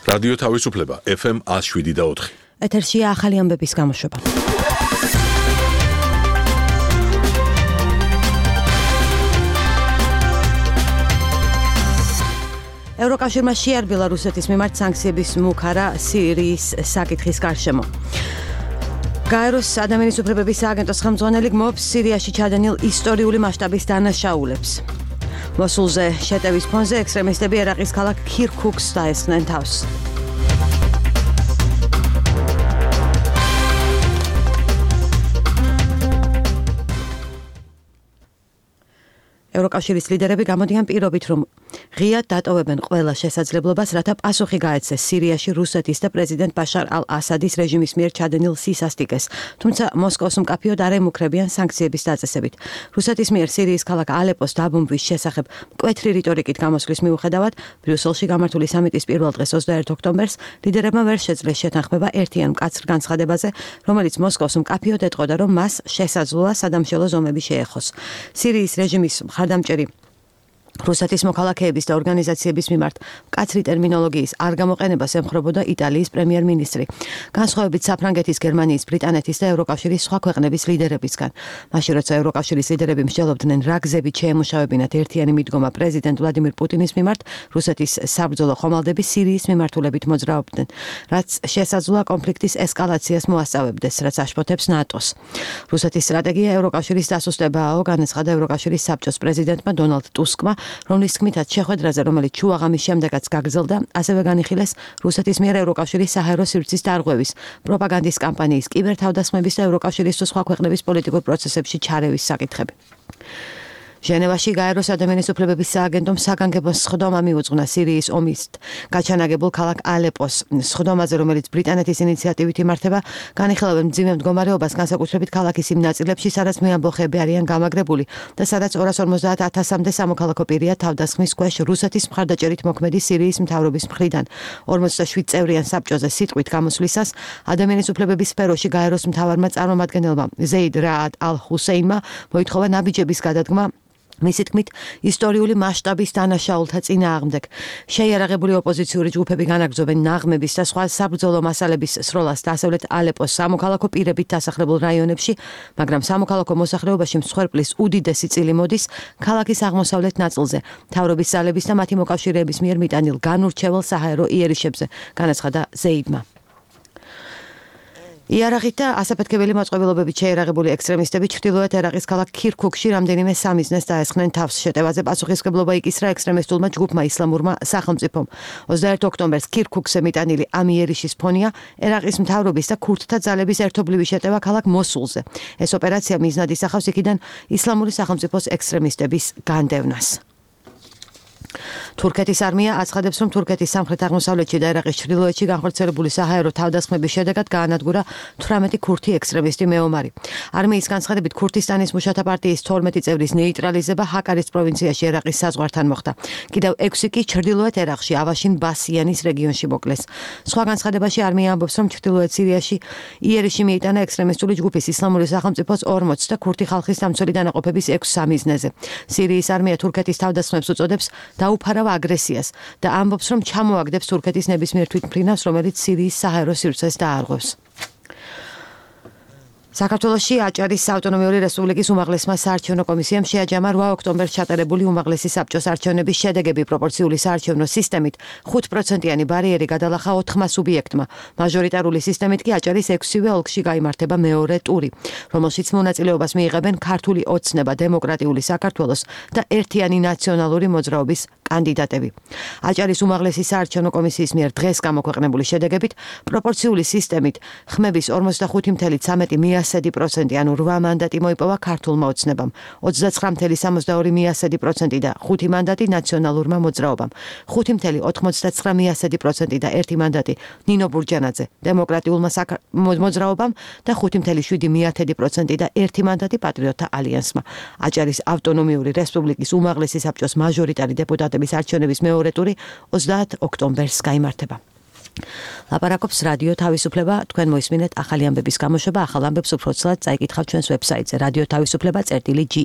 რადიო თავისუფლება FM 107.4. ეთერშია ახალი ამბების გამოშვება. ევროკავშირმა შეარბილა რუსეთის მიმართ სანქციების მუქარა სირიის საკითხის გარშემო. გაეროს ადამიანის უფლებების სააგენტოს ხელმძღვანელი გმობს სირიაში ჩადენილ ისტორიული მასშტაბის დანაშაულებს. მოსულზე შეტევის ფონზე ექსტრემისტები ერაყის ქალაქ ქირქუქს დაესხნენ თავს. ევროკავშირის ლიდერები გამოდიან პირობით, რომ ღიად დატოვებენ ყველა შესაძლებლობას, რათა პასუხი გაეცეს სირიაში რუსეთის და პრეზიდენტ ბაშარ ალ-ასადის რეჟიმის მიერ ჩადენილ სისასტიკეს, თუმცა მოსკოვს მკაფიოდ არ ემუქრებიან სანქციების დაწესებით. რუსეთის მიერ სირიის ქალაქ ალეპოს დაბომბვის შესახებ მკვეთრი რიტორიკით გამოსვლის მიუხედავად, ბრიუსელში გამართული სამიტის პირველ დღეს 21 ოქტომბერს ლიდერებმა ვერ შეძლეს შეთანხმება ერთიან მკაცრ განცხადებაზე, რომელიც მოსკოვს მკაფიოდ ეტყოდა, რომ მას შესაძლოა სადამშველო ზომები შეეხოს. სირიის რეჟიმის მხარდამჭერი რუსეთის მოქალაქეების და ორგანიზაციების მიმართ მკაცრი ტერმინოლოგიის არ გამოყენებას ემხრობოდა იტალიის პრემიერ-მინისტრი, განსხვავებით საფრანგეთის, გერმანიის, ბრიტანეთის და ევროკავშირის სხვა ქვეყნების ლიდერებისგან. მაშინ როცა ევროკავშირის ლიდერები მსჯელობდნენ რა გზებით შეემუშავებინათ ერთიანი მიდგომა პრეზიდენტ ვლადიმირ პუტინის მიმართ, რუსეთის საბრძოლო ხომალდები სირიის მიმართულებით მოძრაობდნენ, რაც შესაძლოა კონფლიქტის ესკალაციას მოასწავებდეს, რაც აშფოთებს ნატოს. რუსეთის სტრატეგია ევროკავშირის დასუსტებაა, განაცხადა ევროკავშირის საბჭოს პრეზიდენტმა დონალდ ტუსკმა, რომლის თქმითაც შეხვედრაზე, რომელიც შუაღამის შემდეგაც გაგრძელდა, ასევე განიხილეს რუსეთის მიერ ევროკავშირის საჰაერო სივრცის დარღვევის, პროპაგანდის კამპანიის, კიბერთავდასხმების და ევროკავშირის სხვა ქვეყნების პოლიტიკურ პროცესებში ჩარევის საკითხები. ჟენევაში გაეროს ადამიანის უფლებების სააგენტომ საგანგებოს სხდომა მიუძღვნა სირიის ომის გაჩანაგებულ ქალაქ ალეპოს. სხდომაზე, რომელიც ბრიტანეთის ინიციატივით იმართება, განიხილავენ მძიმე მდგომარეობას, განსაკუთრებით ქალაქის იმ ნაწილებში, სადაც მეამბოხეები არიან გამაგრებული და სადაც 250,000-მდე სამოქალაქო პირია თავდასხმის ქვეშ რუსეთის მხარდაჭერით მოქმედი სირიის მთავრობის მხრიდან. 47 წევრიან საბჭოზე სიტყვით გამოსვლისას ადამიანის უფლებების სფეროში გაეროს მთავარმა წარმომადგენელმა ზეიდ რაად ალ-ჰუსეინმა მოითხოვა ნაბიჯების გადადგმა მისი თქმით, ისტორიული მასშტაბის დანაშაულთა წინააღმდეგ. შეიარაღებული ოპოზიციური ჯგუფები განაგრძობენ ნაღმების და სხვა საბრძოლო მასალების სროლას დასავლეთ ალეპოს სამოქალაქო პირებით დასახლებულ რაიონებში, მაგრამ სამოქალაქო მოსახლეობაში მსხვერპლის უდიდესი წილი მოდის ქალაქის აღმოსავლეთ ნაწილზე, მთავრობის ძალების და მათი მოკავშირეების მიერ მიტანილ განურჩევალ საჰაერო იერიშებზე, განაცხადა ზეიდმა. იარაღით და ასაფეთქებელი მოწყობილობებით შეიარაღებული ექსტრემისტები ჩრდილოეთ ერაყის ქალაქ ქირქუქში რამდენიმე სამიზნეს დაესხნენ თავს. შეტევაზე პასუხისმგებლობა იკისრა ექსტრემისტულმა ჯგუფმა ისლამურმა სახელმწიფომ. 21 ოქტომბერს ქირქუქზე მიტანილი ამ იერიშის ფონია ერაყის მთავრობის და ქურთთა ძალების ერთობლივი შეტევა ქალაქ მოსულზე. ეს ოპერაცია მიზნად ისახავს იქიდან ისლამური სახელმწიფოს ექსტრემისტების განდევნას. თურქეთის არმია აცხადებს, რომ თურქეთის სამხრეთ-აღმოსავლეთში და ერაყის ჩრდილოეთში განხორციელებული საჰაერო თავდასხმების შედეგად გაანადგურა 18 ქურთი ექსტრემისტი მეომარი. არმიის განცხადებით, ქურთისტანის მუშათა პარტიის 12 წევრის ნეიტრალიზება ჰაკარის პროვინციაში ერაყის საზღვართან მოხდა. კიდევ 6 კი ჩრდილოეთ ერაყში ავაშინ ბასიანის რეგიონში მოკლეს. სხვა განცხადებაში არმია ამბობს, რომ ჩრდილოეთ სირიაში იერიში მიიტანა ექსტრემისტული ჯგუფის ისლამური სახელმწიფოს 40 და ქურთი ხალხის დამცველი დანაყოფების 6 სამიზნეზე. სირიის არმია თურქეთის თავდასხმებს უწოდებს დაუფარავ აგრესიას და ამბობს, რომ ჩამოაგდებს თურქეთის ნებისმიერ თვითმფრინავს, რომელიც სირიის საჰაერო სივრცეს დაარღვევს. საქართველოში აჭარის ავტონომიური რესპუბლიკის უმაღლესმა საარჩევნო კომისიამ შეაჯამა 8 ოქტომბერს ჩატარებული უმაღლესი საბჭოს არჩევნების შედეგები პროპორციული საარჩევნო სისტემით 5%-იანი ბარიერი გადალახა 4 სუბიექტმა. მაჟორიტარული სისტემით კი აჭარის 6-ვე ოლქში გაიმართება მეორე ტური, რომელშიც მონაწილეობას მიიღებენ ქართული ოცნება, დემოკრატიული საქართველოს და ერთიანი ნაციონალური მოძრაობის კანდიდატები. აჭარის უმაღლესი საარჩევნო კომისიის მიერ დღეს გამოქვეყნებული შედეგებით პროპორციული სისტემით ხმების 45.13% ანუ 8 მანდატი მოიპოვა ქართულმა ოცნებამ, 29.62% და 5 მანდატი ნაციონალურმა მოძრაობამ, 5.99% და 1 მანდატი ნინო ბურჯანაძე დემოკრატიულმა მოძრაობამ და 5.7% და 1 მანდატი პატრიოტთა ალიანსმა. აჭარის ავტონომიური რესპუბლიკის უმაღლესი საბჭოს მაჟორიტარი დეპუტატების არჩევნების მეორე ტური 30 ოქტომბერს გაიმართება. ლაპარაკობს რადიო თავისუფლება, თქვენ მოისმინეთ ახალი ამბების გამოშვება, ახალ ამბებს უფრო ცალად წაიკითხავთ ჩვენს ვებსაიტზე radiotavisufleba.ge